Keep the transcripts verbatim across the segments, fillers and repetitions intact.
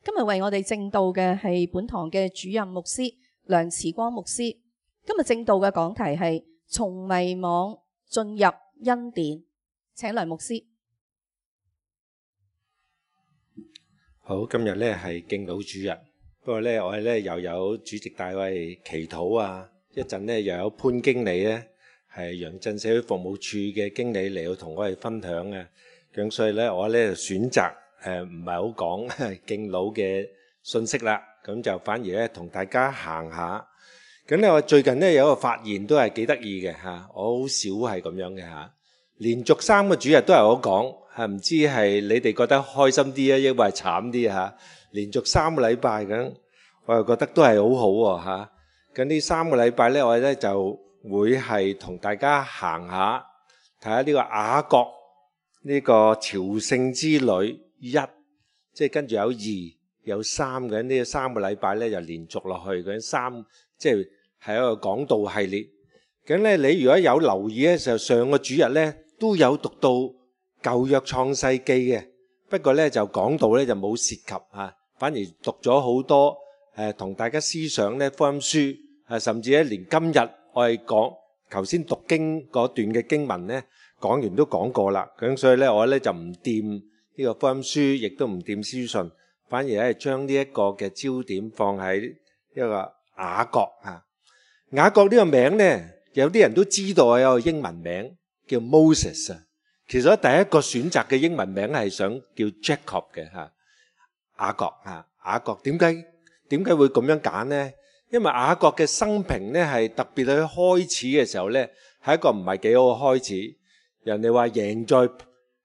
今日為我哋證道嘅係本堂嘅主任牧師梁慈光牧師。今日證道嘅講題係從迷惘進入恩典，請梁牧師。好，今日咧係敬老主日，不過咧我哋咧又有主席大衛祈禱啊，一陣咧又有潘經理咧係楊震社會服務處嘅經理嚟到同我哋分享嘅，咁所以咧我咧就選擇誒唔係好講敬老嘅信息啦，咁就反而咧同大家行下。咁咧我最近咧有一個發現都係幾得意嘅嚇，我好少係咁樣嘅嚇。連續三個主日都係我講，係唔知係你哋覺得開心啲啊，抑或係慘啲嚇？連續三個禮拜咁，我又覺得都係好好喎嚇。咁呢三個禮拜咧，我哋咧就會係同大家行下，睇下呢個雅各呢個朝聖之旅一，即係跟住有二有三嘅呢三個禮拜咧就連續落去嗰三，即係係一個講道系列。咁咧你如果有留意咧，就上個主日咧都有讀到舊約創世記嘅，不過咧就講道咧就冇涉及嚇，反而讀咗好多誒同大家思想咧福音書，誒甚至咧連今日我哋講頭先讀經嗰段嘅經文咧講完都講過啦，咁所以咧我咧就唔掂呢個福音書，亦都唔掂書信，反而咧將呢一個嘅焦點放喺一個雅各啊。雅各呢個名咧，有啲人都知道有個英文名叫 Moses 啊。其實第一個選擇嘅英文名係想叫 Jacob 嘅嚇，雅各嚇。雅各點解點解會咁樣揀呢？因為雅各嘅生平咧係特別喺開始嘅時候咧係一個唔係幾好嘅開始。人哋話贏在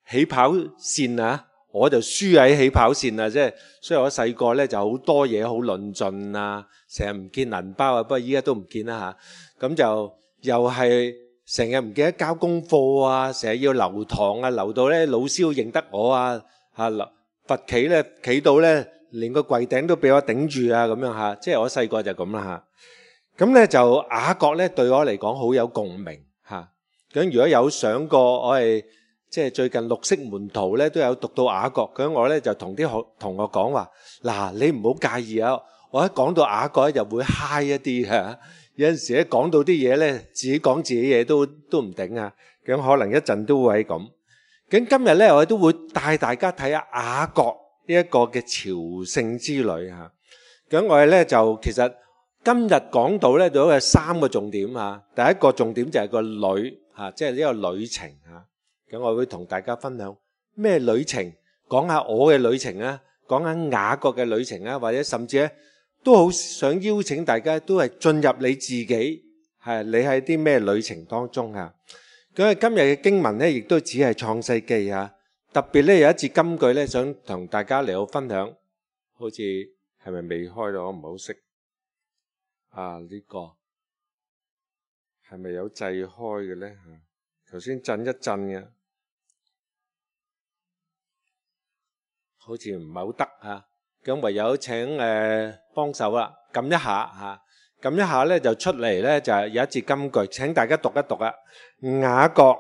起跑線啊，我就輸喺起跑線啊，即係所以我細個咧就好多嘢好論盡啊，成日唔見銀包啊，不過依家都唔見啦嚇。咁就又係成日唔記得交功課啊，成日要留堂啊，留到咧老師要認得我啊，嚇罰企咧企到咧連個櫃頂都俾我頂住啊，咁樣嚇，即係我細個就咁啦嚇。咁咧就雅各咧對我嚟講好有共鳴嚇。咁如果有上過我係即係最近綠色門徒咧都有讀到雅各，咁我咧就同啲學同學講話，嗱你唔好介意啊，我一講到雅各咧就會 high 一啲嚇。有陣時咧講到啲嘢咧，自己講自己嘢都都唔頂啊！咁可能一陣都會係咁。咁今日咧，我哋都會帶大家睇下雅各呢一個嘅朝聖之旅嚇。咁我哋咧就其實今日講到咧，都有三個重點嚇。第一個重點就係個旅嚇，即係呢個旅程嚇。咁我會同大家分享咩旅程，講下我嘅旅程啊，講下雅各嘅旅程啊，或者甚至咧。都好想邀請大家都係進入你自己，係你喺啲咩旅程當中啊？咁啊，今日嘅經文咧，亦都只係創世記啊。特別咧有一節金句咧，想同大家嚟到分享。好似係咪未開到？我唔係好識啊。呢個係咪有掣開嘅咧？嚇，頭先震一震嘅，好似唔係好得嚇。咁唯有請誒幫手啦，撳一下嚇，撳一下咧就出嚟咧就係有一節金句，請大家讀一讀啊。雅各，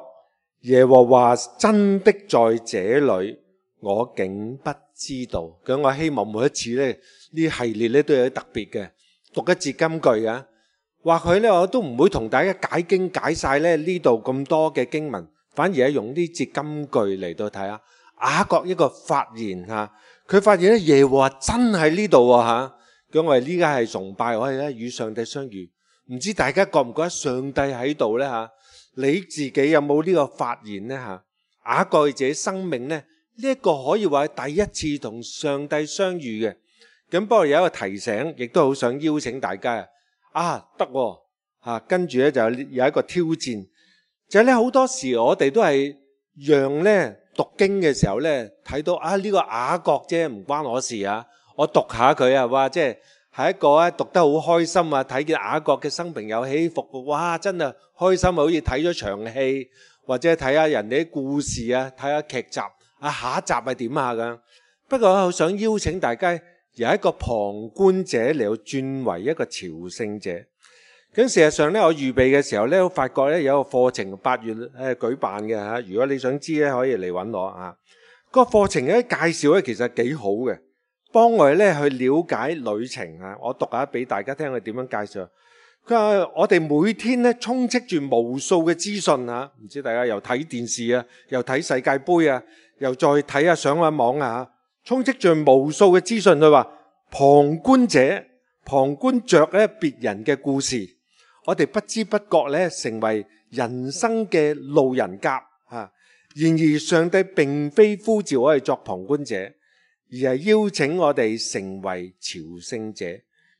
耶和華真的在這裏，我竟不知道。咁我希望每一次咧呢系列咧都有啲特別嘅，讀一節金句啊。或許咧我都唔會同大家解經解晒咧呢度咁多嘅經文，反而係用呢節金句嚟到睇下雅各一個發言嚇。佢發現咧耶和華真喺呢度喎嚇，咁我哋呢家係崇拜，我哋咧與上帝相遇。唔知大家覺唔覺得上帝喺度咧嚇？你自己有冇呢個發現咧嚇？雅各自己生命咧呢一個可以話係第一次同上帝相遇嘅。咁不過有一個提醒，亦都好想邀請大家啊，得喎嚇，跟住咧就有一個挑戰，就係咧好多時我哋都係讓咧。讀經嘅時候咧，睇到啊呢個雅各啫，唔關我事啊。我讀下佢啊，哇！即係係一個咧讀得好開心啊，睇見雅各嘅生平有起伏，哇！真係開心啊，好似睇咗場戲，或者睇下人哋啲故事啊，睇下劇集啊，下一集係點啊咁。不過我想邀請大家由一個旁觀者嚟到轉為一個朝聖者。咁事實上咧，我預備嘅時候咧，我發覺咧有一個課程八月誒舉辦嘅嚇。如果你想知咧，可以嚟揾我啊。個課程嘅介紹咧其實幾好嘅。幫我哋咧去了解旅程啊！我讀下俾大家聽佢點樣介紹。佢話我哋每天咧充斥住無數嘅資訊啊，唔知大家又睇電視啊，又睇世界盃啊，又再睇下上下網啊，充斥住無數嘅資訊。佢話旁觀者旁觀着咧別人嘅故事，我哋不知不覺咧成為人生嘅路人甲啊。然而上帝並非呼召我哋作旁觀者，而係邀請我哋成為朝聖者。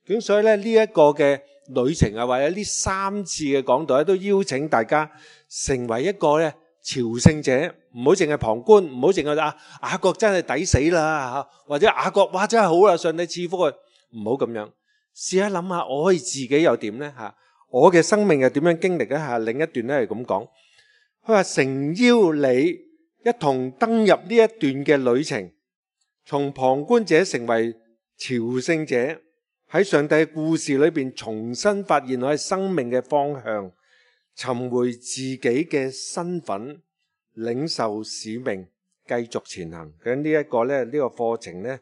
咁所以咧呢一個嘅旅程啊，或者呢三次嘅講道咧，都邀請大家成為一個咧朝聖者，唔好淨係旁觀，唔好淨係啊雅各真係抵死啦，或者雅各哇真係好啦，上帝賜福佢，唔好咁樣。試下諗下，我可以自己又點呢？吓，我嘅生命又點樣經歷呢？吓，另一段咧係咁講，佢話誠邀你一同登入呢一段嘅旅程，從旁觀者成為朝聖者。喺上帝嘅故事裏邊重新發現我哋生命嘅方向，尋回自己嘅身份，領受使命，繼續前行。咁呢一個咧，呢個課程呢，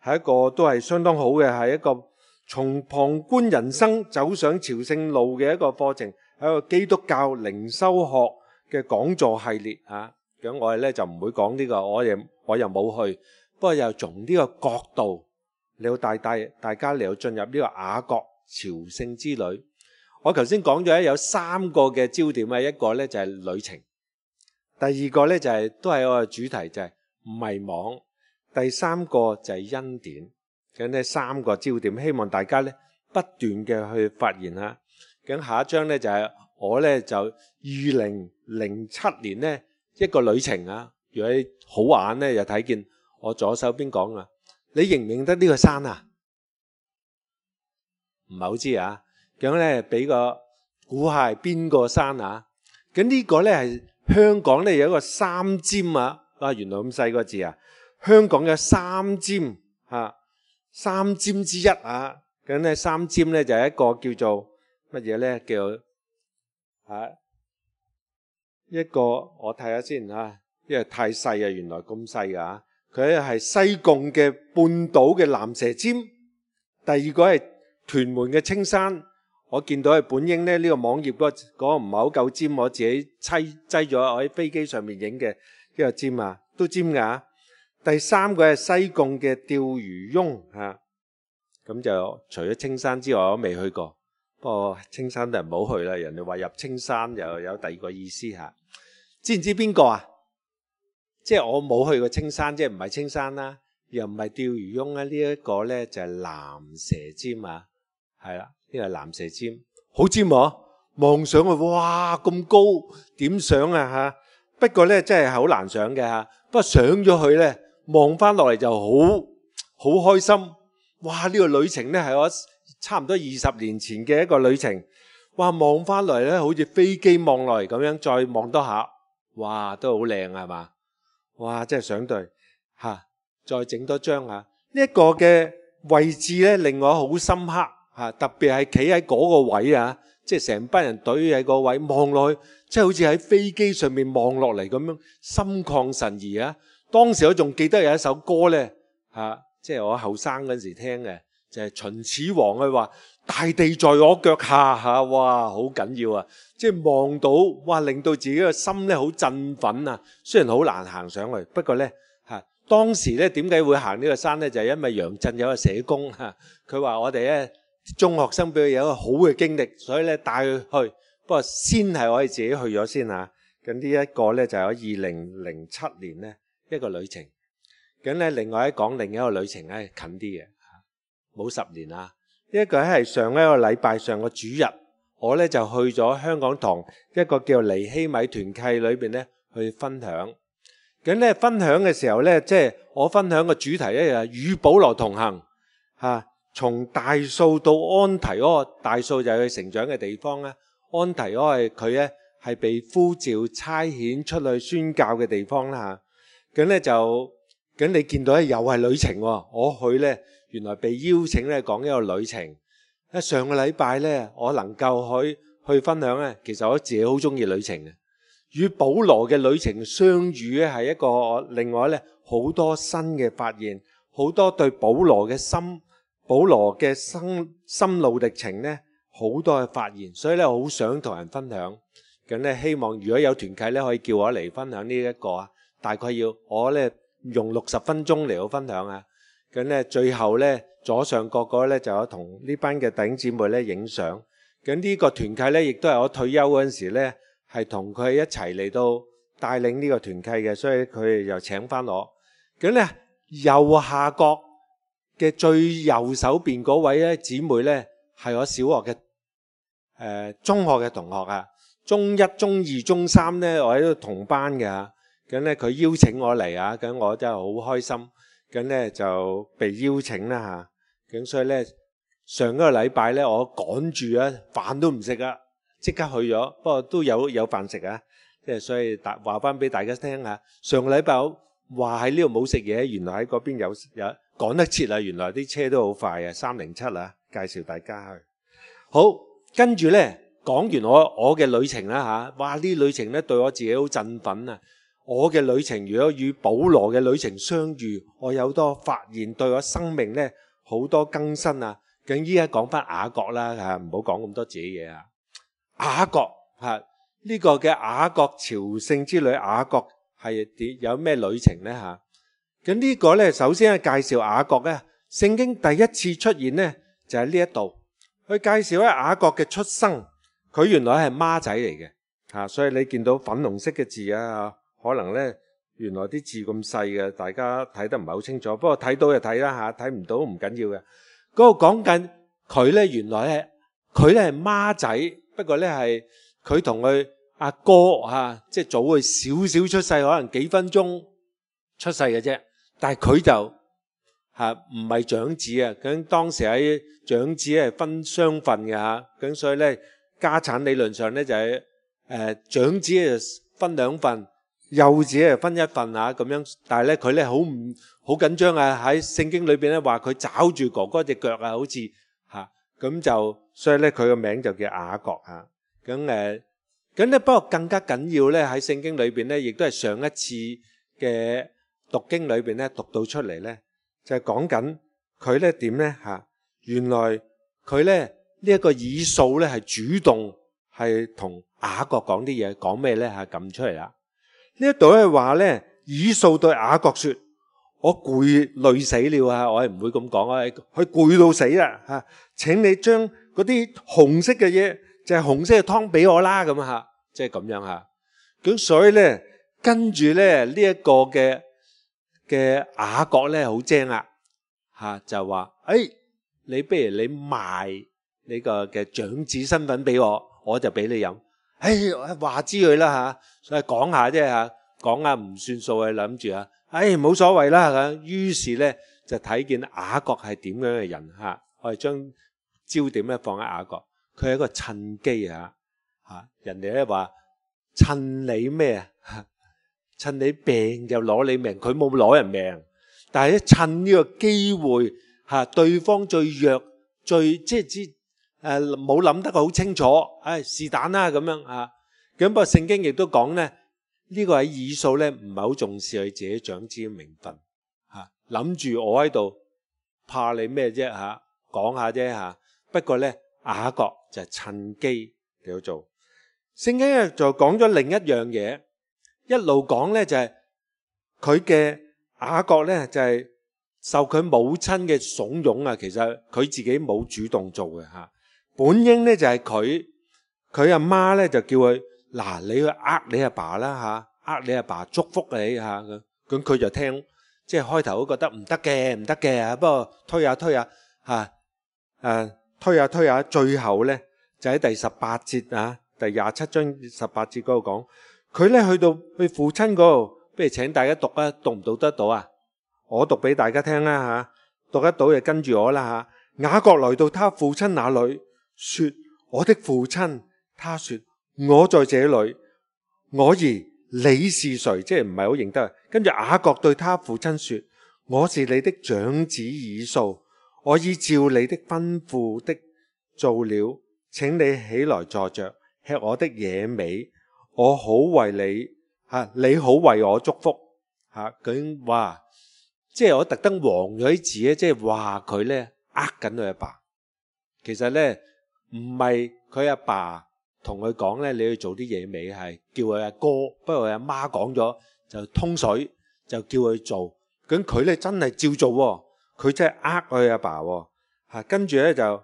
係一個都係相當好嘅，係一個從旁觀人生走上朝聖路嘅一個課程，係一個基督教靈修學嘅講座系列啊。咁我哋咧就唔會講呢個，我又我又冇去，不過又從呢個角度。你要帶帶大家嚟到進入呢個雅各朝聖之旅。我頭先講咗有三個嘅焦點啊，一個咧就係旅程，第二個咧就係都係我嘅主題就係迷惘，第三個就係恩典。咁呢三個焦點，希望大家咧不斷嘅去發現下。咁下一章咧就係我咧就二零零七年呢一個旅程啊。如果你好眼咧，就睇見我左手邊講啊。你認唔認得呢個山啊？唔係好知啊。咁咧俾個估下係邊個山啊？咁呢個咧係香港咧有一個三尖啊。啊，原來咁細個字啊！香港有三尖啊，三尖之一啊。咁咧三尖咧就係一個叫做乜嘢咧？叫啊一個我睇下先啊，因為太細啊，原來咁細噶。佢係西貢嘅半島嘅蚺蛇尖，第二個係屯門嘅青山。我見到係本應咧呢個網頁嗰嗰個唔係好夠尖，我自己砌擠咗我喺飛機上面影嘅呢個尖啊，都尖噶。第三個係西貢嘅釣魚翁嚇，咁就除咗青山之外，我都未去過。不過青山都係唔好去啦，人哋話入青山又有第二個意思嚇。知唔知邊個啊？即係我冇去過青山，即係唔係青山啦，又唔係釣魚翁啦。呢一個咧就係蚺蛇尖啊，係啦，呢個係蚺蛇尖，好尖喎！望上去，哇咁高，點上啊嚇？不過咧真係好難上嘅嚇。不過上咗去咧，望翻落嚟就好好開心。哇！呢個旅程咧係我差唔多二十年前嘅一個旅程。哇！望翻落嚟咧，好似飛機望落嚟咁樣，再望多下，哇都好靚係嘛？哇！真係想對嚇，再整多張嚇。呢一個嘅位置咧，令我好深刻嚇，特別係企喺嗰個位啊，即係成班人隊喺個位望落去，即係好似喺飛機上面望落嚟咁樣，心曠神怡啊！當時我仲記得有一首歌咧嚇，即係我後生嗰陣時聽嘅，就係秦始皇佢話：大地在我腳下嚇，哇！好緊要啊！即係望到，哇！令到自己個心咧好振奮啊！雖然好難行上去，不過咧嚇，當時咧點解會行呢個山咧？就係因為楊震有個社工嚇，佢話我哋咧中學生俾佢有一個好嘅經歷，所以咧帶佢去。不過先係我哋自己去咗先嚇。咁呢一個咧就係我二零零七年咧一個旅程。咁咧另外一講另一個旅程咧近啲嘅嚇，冇十年啊。呢一個係上一個禮拜上個主日。我咧就去咗香港堂一個叫尼希米團契裏邊咧去分享。咁咧分享嘅時候咧，即係我分享嘅主題咧就係與保羅同行嚇，從大數到安提阿。大數就係佢成長嘅地方咧，安提阿係佢咧係被呼召差遣出去宣教嘅地方啦嚇。咁咧就咁你見到咧又係旅程喎。我去咧原來被邀請咧講一個旅程。上個禮拜咧，我能夠去去分享咧，其實我自己好中意旅程嘅。與保羅嘅旅程相遇咧，係一個另外咧好多新嘅發現，好多對保羅嘅心，保羅嘅心心路歷程呢，好多嘅發現，所以咧好想同人分享。咁咧希望如果有團契咧，可以叫我嚟分享呢一個啊，大概要我咧用六十分鐘嚟到分享啊。咁咧最後咧左上角嗰咧就有同呢班嘅弟兄姊妹咧影相。咁呢個團契咧亦都係我退休嗰陣時咧係同佢一齊嚟到帶領呢個團契嘅，所以佢哋又請翻我。咁咧右下角嘅最右手邊嗰位咧姊妹咧係我小學嘅誒、呃、中學嘅同學啊。中一、中二、中三咧，我喺度同班嘅，咁咧佢邀請我嚟啊，咁我真係好開心，咁咧就被邀請啦嚇，咁所以咧上一個禮拜咧，我趕住啊，飯都唔食啊，即刻去咗，不過都有有飯食啊，即係所以大話翻俾大家聽下，上個禮拜我話喺呢度冇食嘢，原來喺嗰邊有有趕得切啊，原來啲車都好快啊，三零七啊，介紹大家去，好，跟住咧。講完我我嘅旅程啦吓，哇！呢旅程咧對我自己好振奮啊！我嘅旅程如果與保羅嘅旅程相遇，我有多發現，對我生命咧好多更新啊！咁依家講翻雅各啦吓，唔好講咁多自己嘢啊！雅各吓呢個嘅雅各朝聖之旅，雅各係點有咩旅程咧吓？咁呢個咧首先係介紹雅各咧，聖經第一次出現咧就喺呢一度，去介紹咧雅各嘅出生。佢原來係孖仔嚟嘅嚇，所以你見到粉紅色嘅字啊，可能咧原來啲字咁細嘅，大家睇得唔係好清楚。不過睇到就睇啦嚇，睇唔到唔緊要嘅。嗰個講緊佢咧，原來係佢咧係孖仔，不過咧係佢同佢阿哥嚇，即係早佢少少出世，可能幾分鐘出世嘅啫。但係佢就嚇唔係長子啊，咁當時喺長子係分雙份嘅嚇，咁所以咧。家產理論上咧就係誒長子係分兩份，幼子係分一份啊咁樣。但係咧佢咧好唔好緊張啊？喺聖經裏邊咧話佢抓住哥哥隻腳啊，好似嚇咁就，所以咧佢個名就叫雅各嚇。咁誒咁咧，不過更加緊要咧喺聖經裏邊咧，亦都係上一次嘅讀經裏邊咧讀到出嚟咧，就係講緊佢咧點咧嚇？原來佢咧。呢一個以掃咧係主動係同雅各講啲嘢，講咩咧嚇？撳出嚟啦！呢一度係話咧，以掃對雅各説：我攰累死了啊！我係唔會咁講啊，佢攰到死啦嚇！請你將嗰啲紅色嘅嘢，就係紅色嘅湯俾我啦咁嚇，即係咁樣嚇。咁所以咧，跟住咧呢一個嘅嘅雅各咧好精啊嚇，就話：誒，你不如你賣。呢個嘅長子身份俾我，我就俾你飲。誒，話知佢啦嚇，所以講下啫嚇，講下唔算數啊，諗住啊，誒冇所謂啦咁。於是咧就睇見雅各係點樣嘅人嚇，我哋將焦點咧放喺雅各，佢係一個趁機嚇嚇，人哋咧話趁你咩啊？趁你病就攞你命，佢冇攞人命，但係咧趁呢個機會嚇，對方最弱最即係知。誒冇諗得好清楚，誒是但啦咁樣啊。咁不過聖經亦都講咧，呢個喺以掃咧唔係好重視佢自己長子嘅名分嚇，諗住我喺度怕你咩啫嚇，講下啫嚇。不過咧雅各就係趁機嚟做。聖經咧就講咗另一樣嘢，一路講咧就係佢嘅雅各咧就係受佢母親嘅慫恿啊，其實佢自己冇主動做嘅嚇。本應咧就係佢佢阿媽咧就叫佢嗱，你去呃你阿爸啦嚇，呃你阿爸祝福你嚇咁，咁佢就聽，即係開頭都覺得唔得嘅唔得嘅，不過推下推下嚇誒推下推下，最後咧就喺第十八節啊，第廿七章十八節嗰度講，佢咧去到去父親嗰度，不如請大家讀啊，讀唔讀得到啊？我讀俾大家聽啦嚇，讀得到就跟住我啦嚇。雅各來到他父親那裏。說我的父親，他說我在這裏，我兒你是誰？即係唔係好認得。跟住雅各對他父親說，我是你的長子以掃，我已照你的吩咐的做了，請你起來坐着，吃我的野味，我好為你吓，你好為我祝福吓。咁哇，即係我特登黃咗啲字咧，即係話佢咧呃緊佢阿爸。其實咧唔係佢阿爸同佢講咧，你去做啲嘢未？係叫佢阿哥，不過佢阿媽講咗就通水，就叫佢做。咁佢咧真係照做喎，佢真係呃佢阿爸喎。嚇，跟住咧就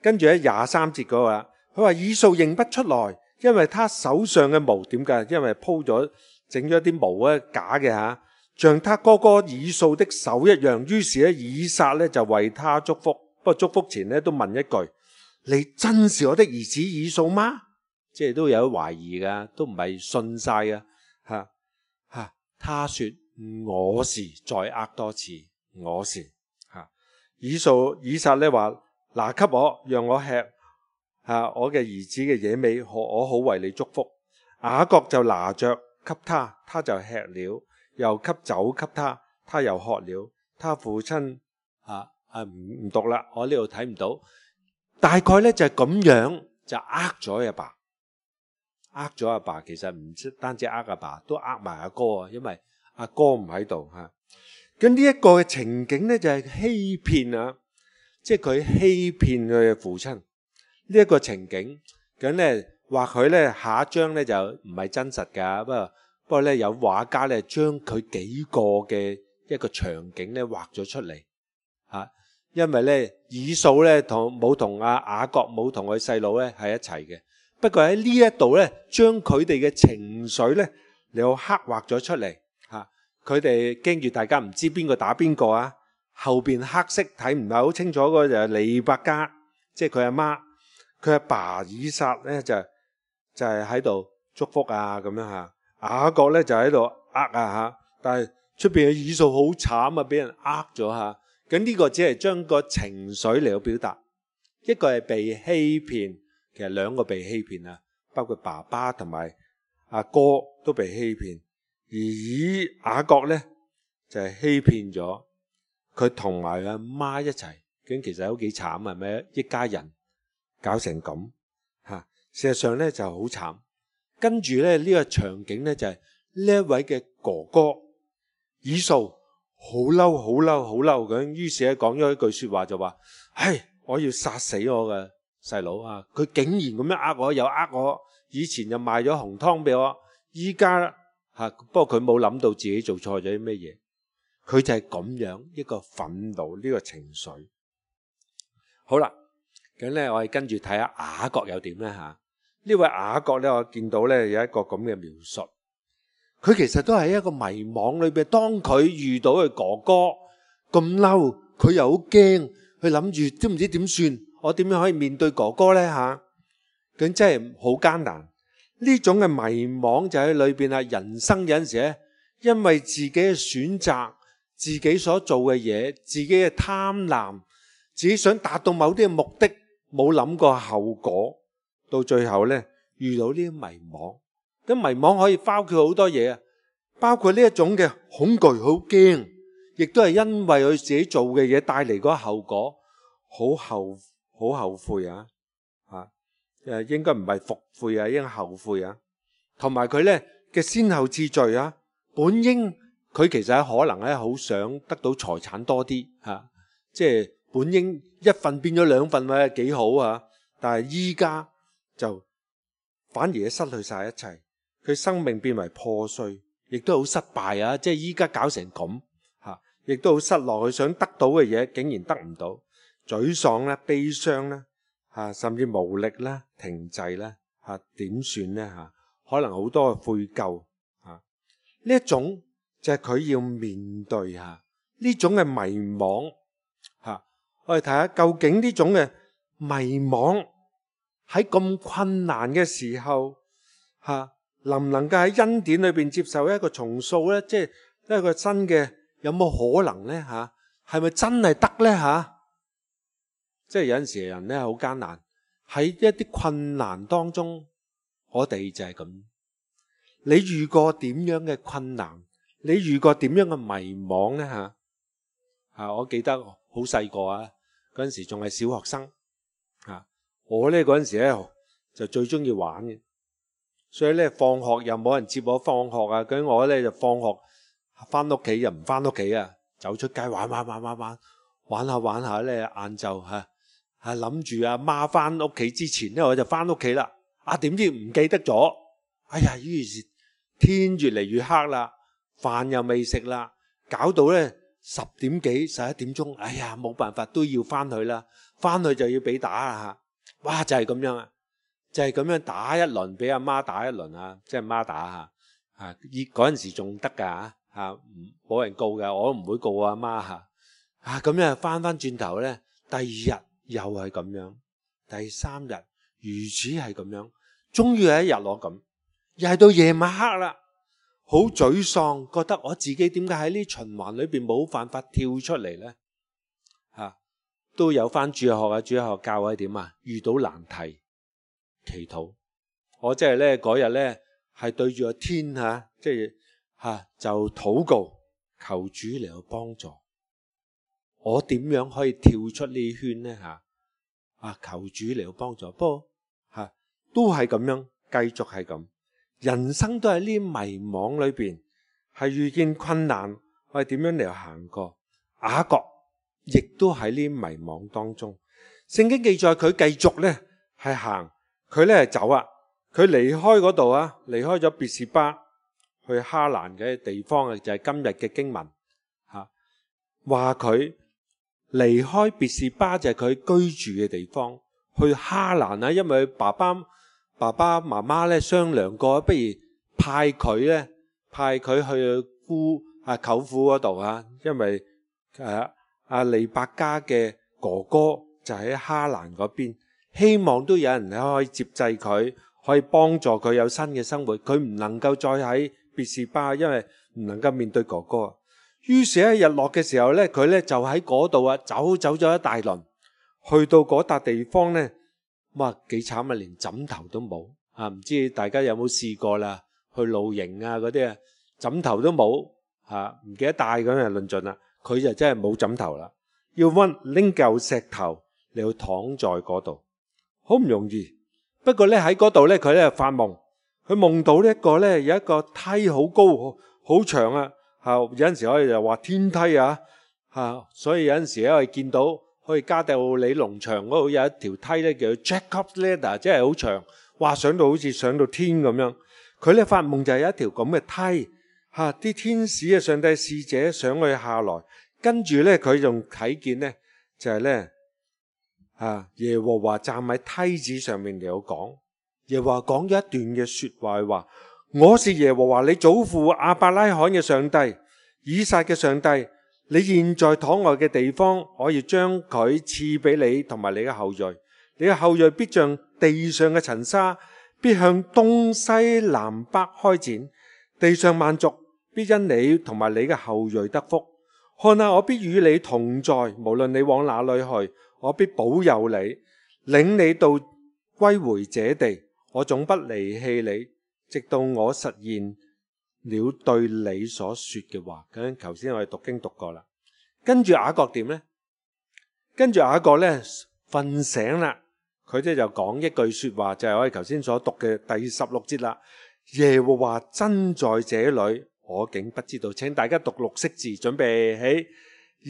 跟住咧廿三節嗰個，佢話以掃認不出來，因為他手上嘅毛點解？因為鋪咗整咗啲毛咧假嘅嚇，像他哥哥以掃的手一樣。於是咧以撒咧就為他祝福，不過祝福前咧都問一句：你真是我的兒子以掃嗎？即係都有懷疑噶，都唔係信晒噶嚇嚇。他說我是，再呃多次我是嚇。以掃以撒咧話：拿給我，讓我吃嚇我嘅兒子嘅野味，我好為你祝福。雅各就拿着給他，他就吃了，又給酒給他，他又喝了。他父親啊啊唔唔讀啦，我呢度睇唔到。大概咧就係咁樣就呃咗阿爸，呃咗阿爸。其實唔單止呃阿爸，都呃埋阿哥啊，因為阿哥唔喺度吓。咁呢一個嘅情景咧就係欺騙啊，即係佢欺騙佢嘅父親呢一個情景。咁咧或許咧下一章咧就唔係真實噶，不過不過咧有畫家咧將佢幾個嘅一個場景咧畫咗出嚟吓。因為咧以掃咧同冇同阿雅各冇同佢細佬咧係一齊嘅，不過喺呢一度咧將佢哋嘅情緒咧又刻畫咗出嚟吓。佢哋驚住大家唔知邊個打邊個啊，後邊黑色睇唔係好清楚，個就係利百加，即係佢阿媽，佢阿爸以撒咧就就係喺度祝福啊咁樣吓。雅各咧就喺度呃啊吓，但係出邊嘅以掃好慘啊，俾人呃咗吓。咁呢個只係將個情緒嚟到表達，一個係被欺騙，其實兩個被欺騙啊，包括爸爸同埋阿哥都被欺騙，而以雅各咧就係欺騙咗佢同埋阿媽一齊，咁其實都幾慘啊，係咪？一家人搞成咁吓，事實上咧就好慘。跟住咧呢個場景咧就係呢一位嘅哥哥以掃。好嬲，好嬲，好嬲咁，於是咧講咗一句說話就話：唉，我要殺死我嘅細佬啊！佢竟然咁樣呃我，又呃我，以前又賣咗紅湯俾我，依家吓，不過佢冇諗到自己做錯咗啲咩嘢，佢就係咁樣一個憤怒呢個情緒。好啦，咁咧我哋跟住睇下雅各又點咧吓？呢位雅各咧，我見到咧有一個咁嘅描述。佢其實都係一個迷惘裏邊，當佢遇到佢哥哥咁嬲，佢又好驚，佢諗住都唔知點算，我點樣可以面對哥哥呢？吓？咁真係好艱難。呢種嘅迷惘就喺裏邊啊！人生有陣時咧，因為自己嘅選擇、自己所做嘅嘢、自己嘅貪婪、自己想達到某啲嘅目的，冇諗過後果，到最後呢，遇到呢啲迷惘。咁迷惘可以包括好多嘢啊，包括呢一種嘅恐懼，好驚，亦都係因為佢自己做嘅嘢帶嚟嗰個後果，好後好後悔啊！吓，誒，應該唔係復悔啊，應該後悔啊。同埋佢咧嘅先後次序啊，本應佢其實可能咧好想得到財產多啲吓，即係本應一份變咗兩份咪幾好啊，但係依家就反而失去晒一切。佢生命變為破碎，亦都好失敗啊！即係依家搞成咁吓，亦都好失落。佢想得到嘅嘢，竟然得唔到，沮喪啦、悲傷啦吓，甚至無力啦、停滯啦吓，點算呢吓？可能好多嘅悔疚吓，呢一種就係佢要面對吓呢種嘅迷惘吓。我哋睇下究竟呢種嘅迷惘喺咁困難嘅時候吓，能唔能夠喺恩典裏邊接受一個重塑呢？即係一個新嘅，有冇可能呢？吓，係咪真係得呢？吓，即係有陣時人呢好艱難，喺一啲困難當中，我哋就係咁。你遇過點樣嘅困難？你遇過點樣嘅迷惘呢？吓，啊，我記得好細個啊，嗰陣時仲係小學生啊，我呢嗰陣時咧就最中意玩嘅。所以咧，放學又冇人接我放學啊！咁我咧就放學翻屋企又唔翻屋企啊，走出街玩玩玩玩玩玩下玩下咧，晏晝嚇嚇諗住阿媽翻屋企之前咧，我就翻屋企啦。啊點知唔記得咗？哎呀，於是天越嚟越黑啦，飯又未食啦，搞到咧十點幾十一點鐘，哎呀冇辦法都要翻去啦，翻去就要俾打啦嚇。哇就係咁樣啊，就係咁樣打一輪，俾阿媽打一輪啊，即係媽打嚇嚇。依嗰陣時仲得㗎嚇，冇人告㗎，我都唔會告阿媽嚇。啊咁樣翻翻轉頭咧，第二日又係咁樣，第三日如此係咁樣，終於有一日我咁，又係到夜晚黑啦，好沮喪，覺得我自己點解喺呢循環裏邊冇辦法跳出嚟咧？嚇、啊、都有翻主日學啊，主日學教我點啊？遇到難題，祈禱。我即係咧嗰日咧係對住個天嚇，即係嚇就禱告，求主嚟到幫助。我點樣可以跳出呢圈呢？嚇啊！求主嚟到幫助。不過嚇、啊、都係咁樣，繼續係咁。人生都喺呢迷惘裏邊，係遇見困難，我哋點樣嚟行過？雅各亦都喺呢迷惘當中。聖經記載佢繼續咧係行，佢咧係走啊。佢離開嗰度啊，離開咗別是巴去哈蘭嘅地方啊，就係今日嘅經文嚇話佢。離開別是巴就係佢居住嘅地方，去哈蘭啊，因為佢爸爸爸爸媽媽咧商量過，不如派佢咧派佢去姑啊舅父嗰度啊，因為誒阿利百加嘅哥哥就喺哈蘭嗰邊，希望都有人可以接濟佢，可以幫助佢有新嘅生活。佢唔能夠再喺別是巴，因為唔能夠面對哥哥。於是喺日落嘅時候咧，佢咧就喺嗰度啊，走走咗一大輪，去到嗰笪地方咧，哇幾慘啊，連枕頭都冇啊！唔知大家有冇試過啦？去露營啊嗰啲啊，枕頭都冇嚇，唔記得帶咁就論盡啦。佢就真係冇枕頭啦，要揾拎嚿石頭嚟去躺在嗰度，好唔容易。不過咧喺嗰度咧，佢咧發夢，佢夢到呢一個咧有一個梯好高好好長啊！嚇有陣時可以就話天梯啊嚇，所以有陣時咧我哋見到可以加道理農場嗰度有一條梯咧叫 Jacob's Ladder， 即係好長，哇上到好似上到天咁樣。佢咧發夢就係有一條咁嘅梯嚇，啲天使啊上帝使者上去下來，跟住咧佢仲睇見咧就係咧嚇耶和華站喺梯子上面嚟講，耶和華講咗一段嘅説話話。我是耶和華你祖父亞伯拉罕嘅上帝，以撒嘅上帝。你現在躺臥嘅地方，我要將佢賜俾你同埋你嘅後裔。你嘅後裔必像地上嘅塵沙，必向東西南北開展。地上萬族必因你同埋你嘅後裔得福。看下我必與你同在，無論你往哪裏去，我必保佑你，領你到歸回這地。我總不離棄你，直到我實現了對你所說嘅話。咁頭先我哋讀經讀過啦，跟住雅各點呢？跟住雅各呢瞓醒啦，佢即係就講一句說話，就係我哋頭先所讀嘅第十六節啦。耶和華真在這裏，我竟不知道。請大家讀綠色字，準備起。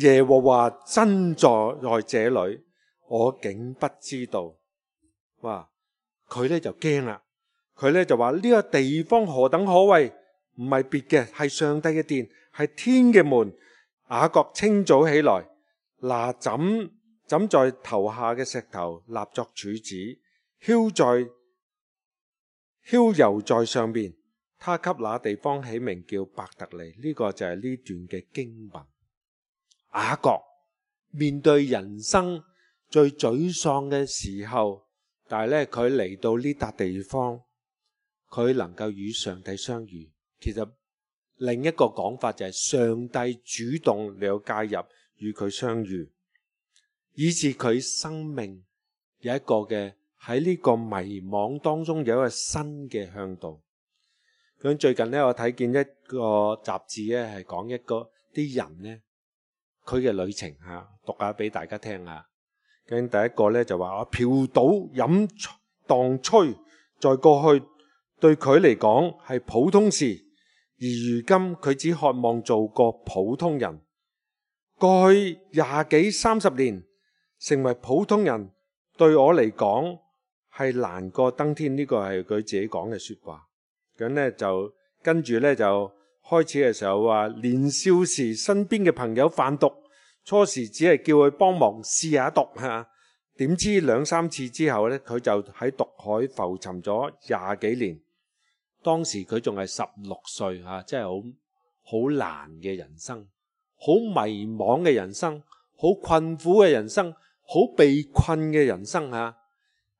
耶和華真在在這裏，我竟不知道。哇！佢呢就驚啦。佢咧就話呢個地方何等可畏，唔係別嘅，係上帝嘅殿，係天嘅門。雅各清早起來，拿枕枕在頭下嘅石頭立作柱子，澆在澆油在上面。他給那地方起名叫伯特利。呢、這個就係呢段嘅經文。雅各面對人生最沮喪嘅時候，但係咧佢嚟到呢笪地方。佢能夠與上帝相遇，其實另一個講法就係上帝主動嚟介入與佢相遇，以致佢生命有一個嘅喺呢個迷惘當中有一個新嘅向導。咁最近呢，我睇見一個雜誌咧，係講一個啲人呢，佢嘅旅程嚇，讀下俾大家聽下。咁第一個咧就話：我嫖賭飲蕩吹，在過去。對佢嚟講係普通事，而如今佢只渴望做個普通人。過去廿幾三十年，成為普通人對我嚟講係難過登天。呢個係佢自己講嘅說話。咁呢就跟住呢就開始嘅時候話，年少時身邊嘅朋友販毒，初時只係叫佢幫忙試下毒吓，點知兩三次之後呢，佢就喺毒海浮沉咗廿幾年。當時佢仲係十六歲吓，真係好好難嘅人生，好迷茫嘅人生，好困苦嘅人生，好被困嘅人生吓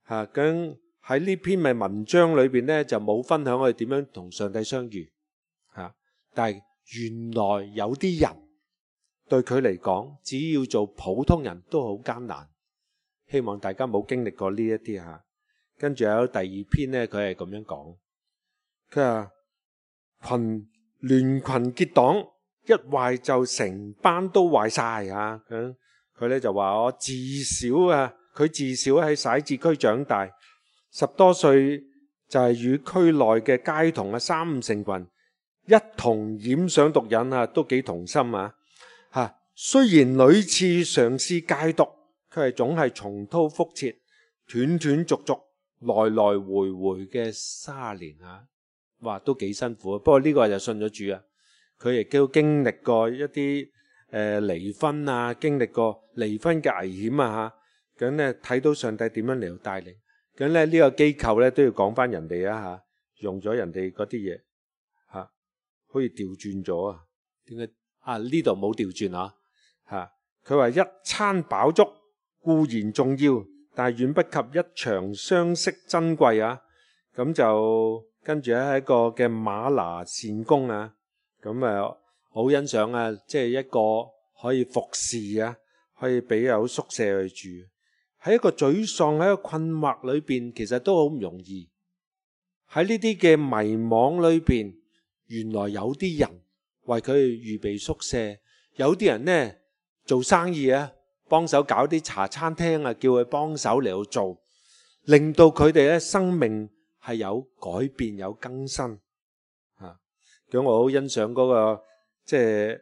吓。咁喺呢篇嘅文章裏邊呢，就冇分享我哋點樣同上帝相遇吓，但係原來有啲人對佢嚟講，只要做普通人都好艱難。希望大家冇經歷過呢一啲吓。跟住有第二篇呢，佢係咁樣講，佢話群聯群結黨，一壞就成班都壞晒啊！咁佢咧就話我自小啊，佢自小喺徙置區長大，十多歲就係與區內嘅街童啊三五成群，一同染上毒癮啊，都幾同心啊！吓，雖然屢次嘗試戒毒，佢係總係重蹈覆轍，斷斷續續，來來回回嘅三年啊！哇，都幾辛苦啊！不過呢個就信咗主啊，佢亦都經歷過一啲誒離婚啊，經歷過離婚嘅危險啊嚇。咁咧睇到上帝點樣嚟到帶領，咁咧呢個機構咧都要講翻人哋啊嚇，用咗人哋嗰啲嘢嚇，好似調轉咗啊？點解啊？呢度冇調轉啊嚇？佢話一餐飽足固然重要，但係遠不及一場相識珍貴啊！咁就跟住咧係一個嘅馬拿善工啊，咁啊好欣賞啊，即係一個可以服侍啊，可以俾有宿舍去住，喺一個沮喪喺一個困惑裏邊，其實都好唔容易。喺呢啲嘅迷惘裏邊，原來有啲人為佢預備宿舍，有啲人呢做生意啊，幫手搞啲茶餐廳啊，叫佢幫手嚟到做，令到佢哋咧生命係有改變有更新嚇。咁我好欣賞嗰個即係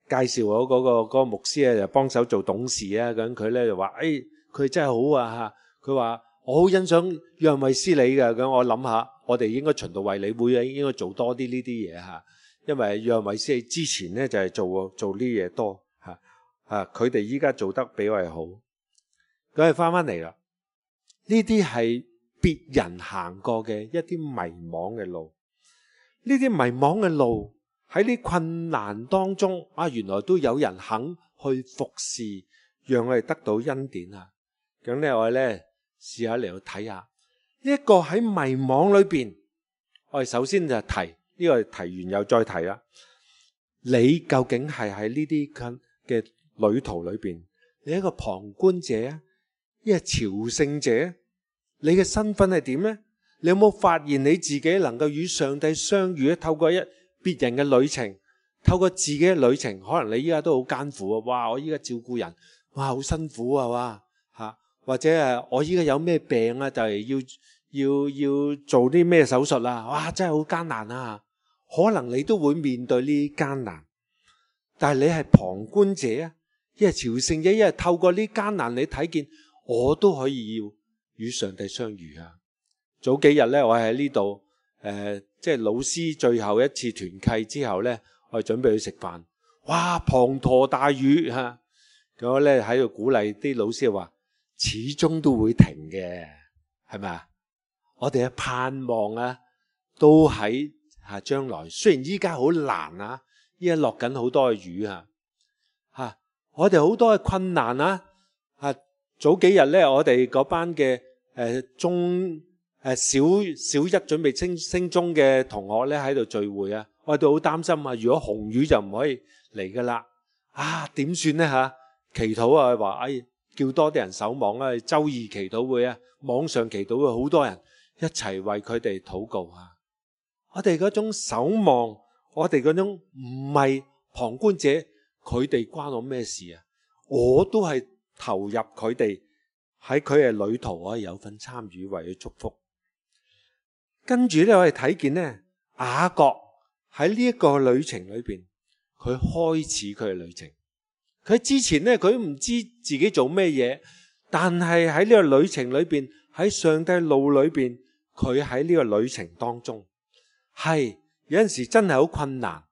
介紹我嗰個嗰個牧師咧，就幫手做董事啊。咁佢咧就話：誒，佢真係好啊嚇！佢話我好欣賞約翰衛斯理嘅。咁我諗下，我哋應該循道衛理會啊，應該做多啲呢啲嘢嚇。因為約翰衛斯理之前咧就係做做呢嘢多嚇嚇，佢哋依家做得比我哋好。咁係翻翻嚟啦，呢啲係別人行過嘅一啲迷惘嘅路，呢啲迷惘嘅路喺呢困難當中啊，原來都有人肯去服侍，讓我哋得到恩典啊！咁咧我哋咧試下嚟到睇下呢一個喺迷惘裏邊，我哋首先就提呢個提完又再提啦。你究竟係喺呢啲嘅旅途裏邊，你係一個旁觀者啊，一係朝聖者？你嘅身份係點呢？你有冇發現你自己能夠與上帝相遇咧？透過一別人嘅旅程，透過自己嘅旅程，可能你依家都好艱苦啊！哇，我依家照顧人，哇，好辛苦啊！哇，吓，或者誒，我依家有咩病啊？就係要要要做啲咩手術啊？哇，真係好艱難啊！可能你都會面對呢啲艱難，但係你係旁觀者啊，一係朝聖者，一係透過呢啲艱難，你睇見我都可以要與上帝相遇啊！早幾日咧，我喺呢度誒，即係老師最後一次團契之後咧，我哋準備去食飯。哇！滂沱大雨嚇，咁我咧喺度鼓勵啲老師話：始終都會停嘅，係咪啊？我哋嘅盼望啊，都喺嚇將來。雖然依家好難啊，依家落緊好多嘅雨啊，嚇我哋好多嘅困難啊，嚇早幾日咧，我哋嗰班嘅。誒中誒小小一準備升升中嘅同學咧喺度聚會啊，我哋都好擔心啊！如果紅雨就唔可以嚟噶啦，啊點算咧嚇？祈禱啊，話哎叫多啲人守望啊，週二祈禱會啊，網上祈禱會好多人一齊為佢哋禱告啊！我哋嗰種守望，我哋嗰種唔係旁觀者，佢哋關我咩事啊？我都係投入佢哋。喺佢嘅旅途可以有份參與，為佢祝福。跟住咧，我哋睇見咧，雅各喺呢一個旅程裏邊，佢開始佢嘅旅程。佢佢之前咧，佢唔知自己做咩嘢，但係喺呢個旅程裏邊，喺上帝路裏邊，佢喺呢個旅程當中，係有陣時真係好困難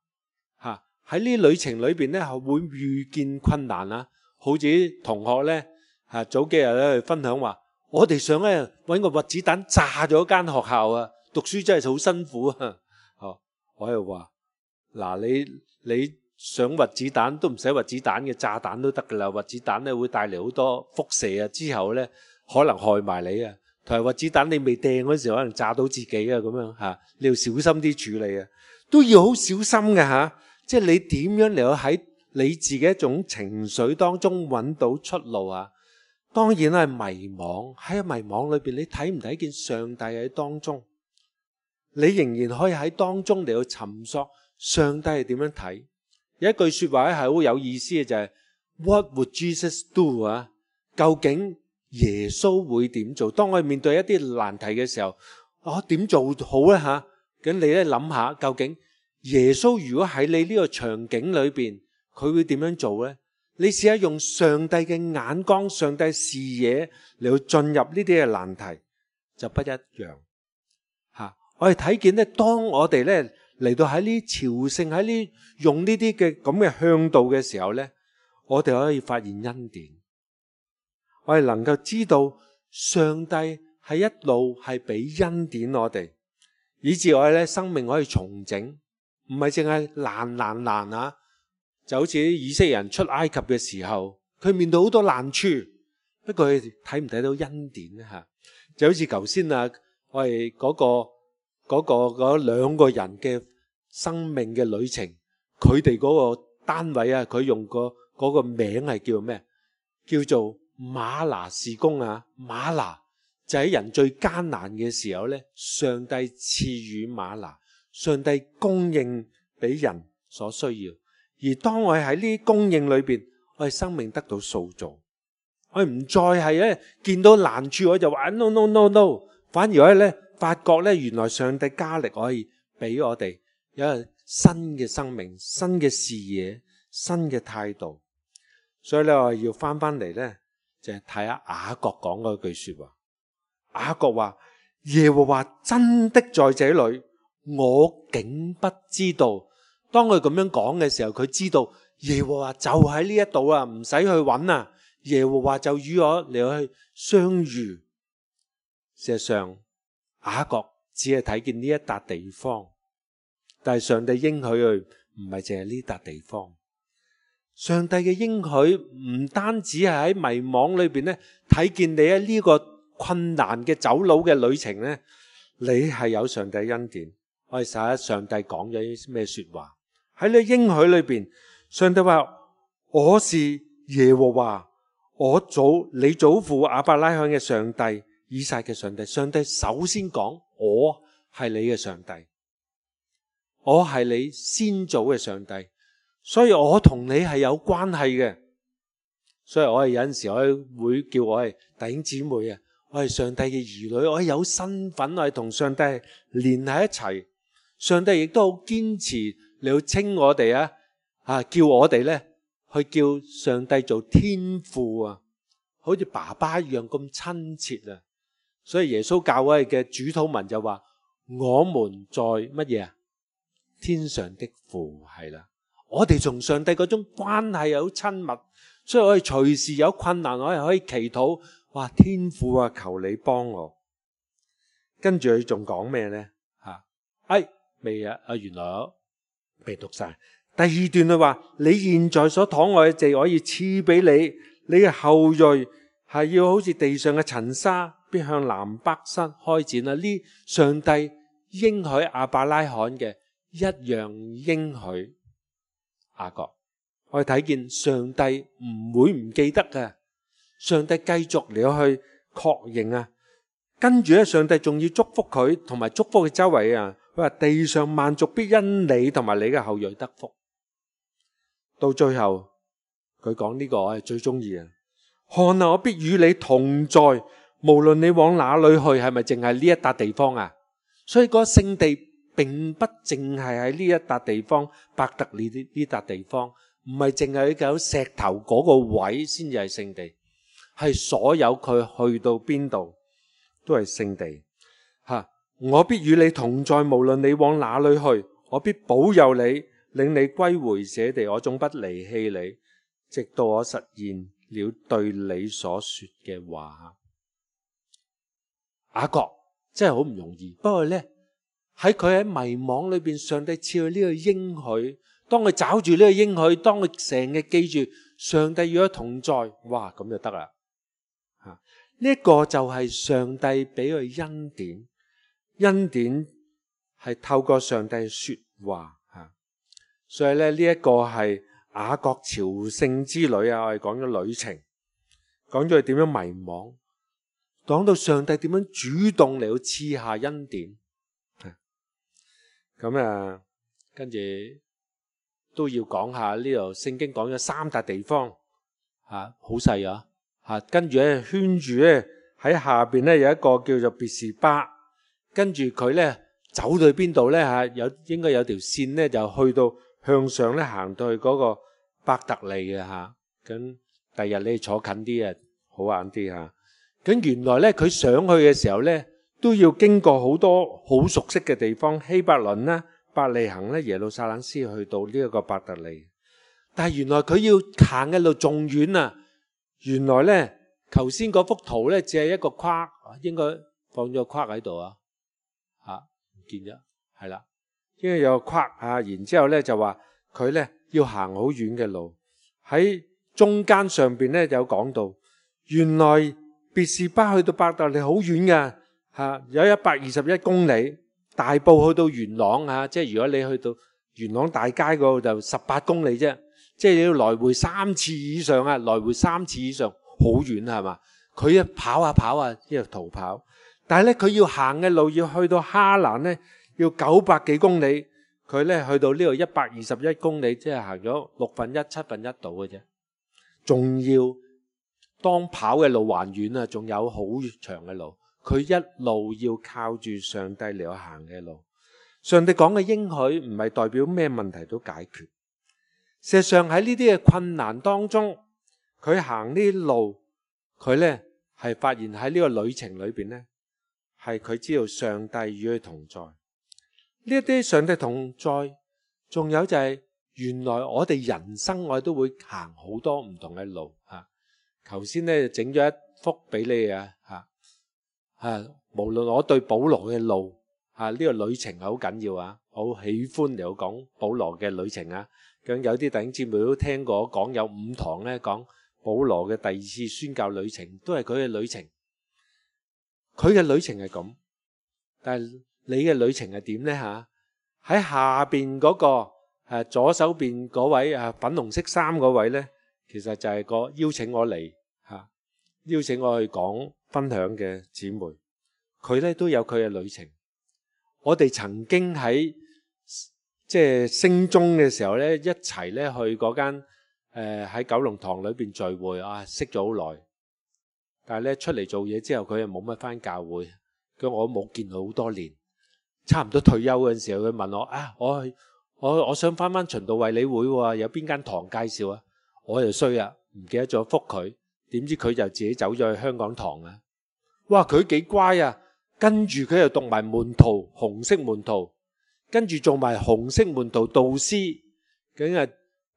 吓。喺呢旅程裏邊咧，係會遇見困難啊。好似啲同學咧吓，早幾日咧分享話，我哋想咧搵個核子彈炸咗間學校啊，讀書真係好辛苦啊。哦，我又話嗱，你你。想核子彈都唔使核子彈嘅，炸彈都得噶啦。核子彈咧會帶嚟好多輻射啊，之後咧可能害埋你啊。同埋核子彈你未掟嗰時候可能炸到自己啊，咁樣吓，你要小心啲處理啊，都要好小心嘅吓。即係你點樣嚟到喺你自己一種情緒當中揾到出路啊？當然係迷惘，喺迷惘裏邊你睇唔睇見上帝喺當中？你仍然可以喺當中嚟到尋索上帝係點樣睇。有一句說話咧係好有意思嘅，就係 What would Jesus do 啊？究竟耶穌會點做？當我哋面對一啲難題嘅時候，我點做好咧吓？咁你咧諗下，究竟耶穌如果喺你呢個場景裏邊，佢會點樣做咧？你試下用上帝嘅眼光、上帝視野嚟到進入呢啲嘅難題，就不一樣吓。我哋睇見咧，當我哋咧。嚟到喺呢朝聖喺呢用呢啲嘅咁嘅向導嘅時候呢，我哋可以發現恩典，我哋能夠知道上帝係一路係俾恩典我哋，以致我哋咧生命可以重整，唔係淨係難難難啊！就好似以色列人出埃及嘅時候，佢面對好多難處，不過佢睇唔睇到恩典咧吓？就好似頭先啊，我哋嗰個。嗰、嗰個嗰兩個人嘅生命嘅旅程，佢哋嗰個單位啊，佢用個嗰個名係叫咩？叫做馬拿事工啊！馬拿就喺人最艱難嘅時候咧，上帝賜予馬拿，上帝供應俾人所需要。而當我哋喺呢啲供應裏邊，我哋生命得到塑造，我哋唔再係咧見到難處我就話 no no no no， 反而我哋咧。發覺咧，原來上帝加力可以俾我哋有一個新嘅生命、新嘅視野、新嘅態度。所以咧，我要翻翻嚟咧，就係睇下雅各講嗰句說話。雅各話：耶和華真的在這裏，我竟不知道。當佢咁樣講嘅時候，佢知道耶和華就喺呢一度啊，唔使去揾啊。耶和華就與我嚟去相遇。事實上，雅各只係睇見呢一笪地方，但係上帝應許佢唔係淨係呢笪地方。上帝嘅應許唔單止係喺迷惘裏邊咧，睇見你喺呢個困難嘅走佬嘅旅程咧，你係有上帝恩典。我哋睇下上帝講咗啲咩說話喺呢應許裏邊。上帝話：我是耶和華，我祖你祖父亞伯拉罕嘅上帝。以撒嘅上帝，上帝首先講我係你嘅上帝，我係你先祖嘅上帝，所以我同你係有關係嘅。所以我係有陣時我會叫我係弟兄姊妹啊，我係上帝嘅兒女，我係有身份，我係同上帝連喺一齊。上帝亦都好堅持你要稱我哋啊，啊叫我哋咧去叫上帝做天父啊，好似爸爸一樣咁親切啊。所以耶穌教會嘅主禱文就話：我們在乜嘢啊？天上的父。係啦，我哋同上帝嗰種關係好親密，所以我哋隨時有困難，我哋可以祈禱，哇！天父啊，求你幫我。跟住佢仲講咩呢？吓，哎，未啊？啊，原來我未讀晒。第二段佢話：你現在所躺臥嘅地，可以賜俾你，你嘅後裔係要好似地上嘅塵沙。必向南北山開展啦！呢上帝應許亞伯拉罕嘅一樣應許雅各，我哋睇見上帝唔會唔記得嘅，上帝繼續嚟去確認啊！跟住咧，上帝仲要祝福佢，同埋祝福佢周圍啊！佢話地上萬族必因你同埋你嘅後裔得福。到最後佢講呢個我係最中意啊！看啊，我必與你同在。無論你往哪裏去，係咪淨係呢一笪地方啊？所以嗰個聖地並不淨係喺呢一笪地方，伯特利呢呢笪地方，唔係淨係有石頭嗰個位先至係聖地，係所有佢去到邊度都係聖地。吓，我必與你同在，無論你往哪裏去，我必保佑你，領你歸回這地，我總不離棄你，直到我實現了對你所說嘅話。雅各真係好唔容易，不過呢，喺佢喺迷惘裏邊，上帝賜佢呢個應許。當佢找住呢個應許，當佢成日記住上帝與佢同在，哇，咁就得啦。吓，呢一個就係上帝俾佢恩典，恩典係透過上帝說話吓。所以咧，呢一個係雅各朝聖之旅啊，我哋講咗旅程，講咗佢點樣迷惘，講到上帝點樣主動嚟到賜下恩典。咁啊，跟住都要講下呢度聖經講咗三笪地方，吓，好細啊，吓，跟住咧圈住咧喺下邊咧有一個叫做別是巴，跟住佢咧走到去邊度咧吓，有應該有條線咧就去到向上咧行到去嗰個伯特利嘅吓，咁第日你坐近啲啊，好玩啲吓。咁原來咧佢上去嘅時候咧都要經過好多好熟悉嘅地方，希伯倫啦、伯利恆咧、耶路撒冷先去到呢一個伯特利。但係原來佢要行嘅路仲遠啊！原來咧頭先嗰幅圖咧只係一個框，應該放咗個框喺度啊，吓唔見咗，係啦，應該有個框啊。然之後咧就話佢咧要行好遠嘅路，喺中間上邊咧有講到，原來別是巴去到伯特利好遠㗎。吓，有一百二十一公里，大埔去到元朗啊，即係如果你去到元朗大街嗰度就十八公里啫，即係你要來回三次以上啊，來回三次以上，好遠係嘛？佢一跑啊跑啊，一路逃跑，但係咧佢要行嘅路要去到哈蘭咧，要九百幾公里，佢咧去到呢度一百二十一公里，即係行咗六分一、七分一度嘅啫，仲要當跑嘅路還遠啊，仲有好長嘅路。佢一路要靠住上帝嚟行嘅路，上帝講嘅應許唔係代表咩問題都解決。事實上喺呢啲嘅困難當中，佢行呢啲路，佢呢係發現喺呢個旅程裏邊呢，係佢知道上帝與佢同在。呢一啲上帝同在，仲有就係原來我哋人生我哋都會行好多唔同嘅路啊。頭先呢整咗一幅俾你啊吓。啊！無論我對保羅嘅路啊，呢個旅程係好緊要啊，我好喜歡嚟講保羅嘅旅程啊。咁有啲弟兄姊妹都聽過講有五堂咧講保羅嘅第二次宣教旅程，都係佢嘅旅程。佢嘅旅程係咁，但係你嘅旅程係點咧吓？喺下邊嗰個誒左手邊嗰位啊粉紅色衫嗰位咧，其實就係個邀請我嚟吓，邀請我去講分享嘅姊妹，佢咧都有佢嘅旅程。我哋曾經喺即係升中嘅時候咧，一齊咧去嗰間誒喺九龍塘裏邊聚會啊，識咗好耐。但係咧出嚟做嘢之後，佢又冇乜返教會，咁我冇見佢好多年。差唔多退休嗰陣時候，佢問我啊，我我我想返返循道衛理會喎，有邊間堂介紹啊？我就衰啊，唔記得咗覆佢。點知佢就自己走咗去香港堂啊！哇，佢幾乖啊！跟住佢又讀埋門徒紅色門徒，跟住做埋紅色門徒導師，咁啊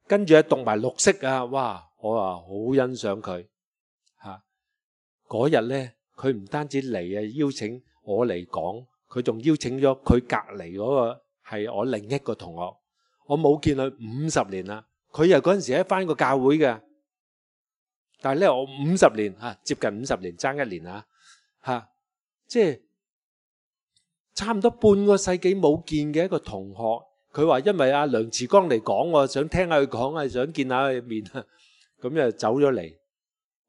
跟住啊讀埋綠色啊！哇，我啊好欣賞佢吓。嗰日呢，佢唔單止嚟啊，邀請我嚟講，佢仲邀請咗佢隔籬嗰個係我另一個同學。我冇見佢五十年啦，佢又嗰陣時喺返個教會嘅。但係咧，我五十年吓，接近五十年，爭一年啊吓，即係差唔多半個世紀冇見嘅一個同學。佢話因為阿梁慈光嚟講，我想聽下佢講啊，想見下佢面啊，咁就走咗嚟。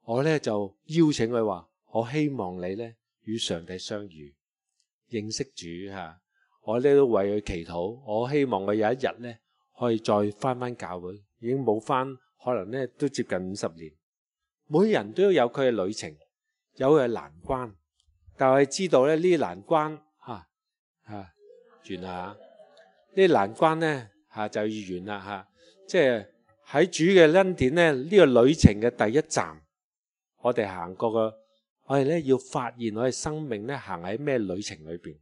我咧就邀請佢話，我希望你咧與上帝相遇，認識主吓。我咧都為佢祈禱，我希望佢有一日咧可以再翻翻教會。已經冇翻，可能咧都接近五十年。每人都有佢嘅旅程，有佢嘅難關，但係知道咧呢啲難關吓吓完啦，呢啲難關咧吓就要完啦吓，即係喺主嘅恩典咧，呢個旅程嘅第一站，我哋行過嘅，我哋咧要發現我哋生命咧行喺咩旅程裏邊。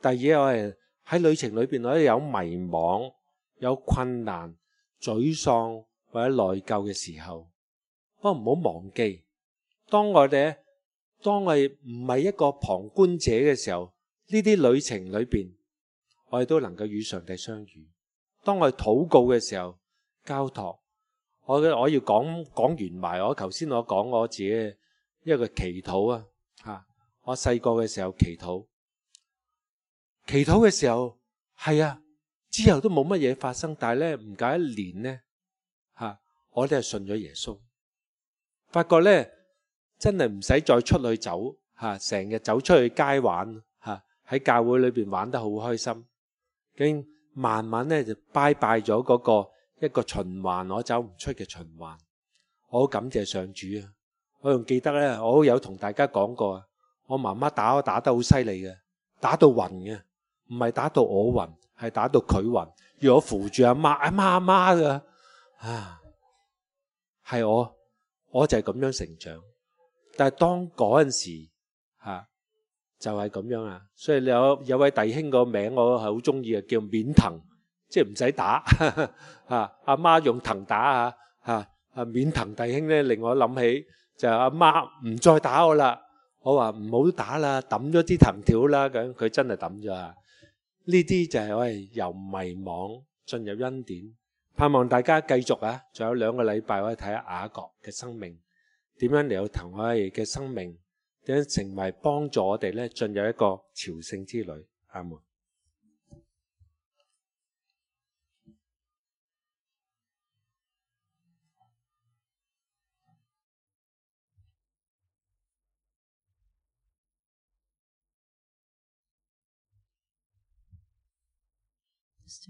第二，我哋喺旅程裏邊，我哋有迷惘、有困難、沮喪或者內疚嘅時候，不過唔好忘記，當我哋當我哋唔係一個旁觀者嘅時候，呢啲旅程裏邊，我哋都能夠與上帝相遇。當我哋禱告嘅時候，交託，我我要講講完埋我頭先我講我自己嘅一個祈禱啊，吓，我細個嘅時候祈禱，祈禱嘅時候係啊，之後都冇乜嘢發生，但係咧唔夠一年咧，吓，我哋係信咗耶穌，發覺咧真係唔使再出去走吓，成日走出去街玩吓，喺教會裏邊玩得好開心，經慢慢咧就拜拜咗嗰個。一個循環我走唔出嘅循環，我好感謝上主啊！我仲記得咧，我有同大家講過啊，我媽媽打我打得好犀利嘅，打到暈嘅，唔係打到我暈，係打到佢暈，要我扶住阿媽，阿媽阿媽噶，啊，係我，我就係咁樣成長。但係當嗰陣時吓、啊，就係、是、咁樣啊，所以有有位弟兄個名我係好中意嘅，叫免藤。即係唔使打，阿媽用藤打啊，吓啊免藤弟兄咧令我諗起就係阿媽唔再打我啦，我話唔好打啦，抌咗啲藤條啦，咁佢真係抌咗啊！呢啲就係我哋由迷惘進入恩典，盼望大家繼續啊，仲有兩個禮拜我哋睇下雅各嘅生命點樣嚟到同我哋嘅生命點樣成為幫助我哋咧進入一個朝聖之旅。阿門。Yes.